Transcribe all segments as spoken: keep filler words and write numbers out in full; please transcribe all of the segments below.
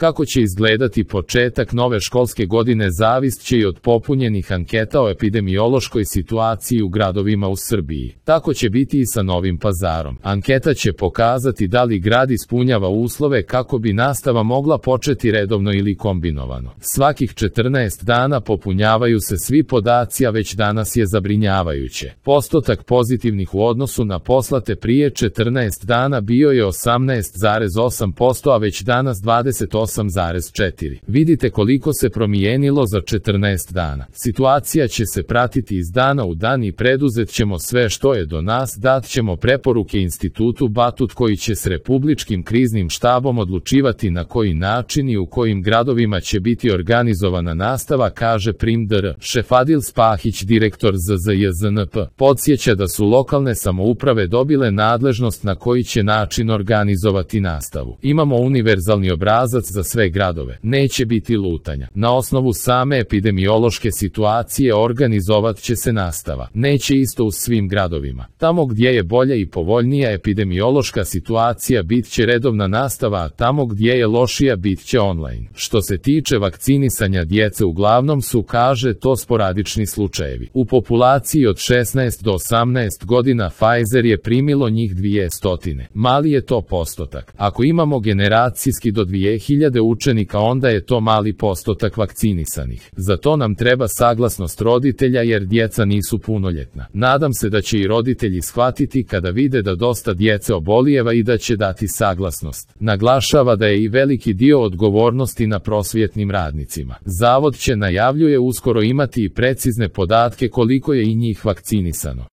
Kako će izgledati početak nove školske godine zavist će i od popunjenih anketa o epidemiološkoj situaciji u gradovima u Srbiji. Tako će biti i sa Novim Pazarom. Anketa će pokazati da li grad ispunjava uslove kako bi nastava mogla početi redovno ili kombinovano. Svakih četrnaest dana popunjavaju se svi podaci, a već danas je zabrinjavajuće. Postotak pozitivnih u odnosu na poslate prije četrnaest dana bio je osamnaest zarez osam posto, a već danas dvadeset osam zarez četiri posto. Vidite koliko se promijenilo za četrnaest dana. Situacija će se pratiti iz dana u dan i preduzet ćemo sve što je do nas, dat ćemo preporuke Institutu Batut koji će s Republičkim kriznim štabom odlučivati na koji način i u kojim gradovima će biti organizovana nastava, kaže prim dr. Šefadil Spahić, direktor Z Z J Z N P. Podsjeća da su lokalne samouprave dobile nadležnost na koji će način organizovati nastavu. Imamo univerzalni obrazac za sve gradove. Neće biti lutanja. Na osnovu same epidemiološke situacije organizovat će se nastava. Neće isto u svim gradovima. Tamo gdje je bolja i povoljnija epidemiološka situacija bit će redovna nastava, a tamo gdje je lošija bit će online. Što se tiče vakcinisanja djece, uglavnom su, kaže, to sporadični slučajevi. U populaciji od šesnaest do osamnaest godina Pfizer je primilo njih dvjesto. Mali je to postotak. Ako imamo generacijski do dvije hiljade učenika, onda je to mali postotak vakcinisanih. Za to nam treba saglasnost roditelja jer djeca nisu punoljetna. Nadam se da će i roditelji shvatiti kada vide da dosta djece obolijeva i da će dati saglasnost. Naglašava da je i veliki dio odgovornosti na prosvjetnim radnicima. Zavod će, najavljuje, uskoro imati i precizne podatke koliko je i njih vakcinisano.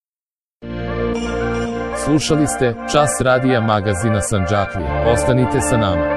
Slušali ste Čas radija magazina Sandžaklije. Ostanite sa nama.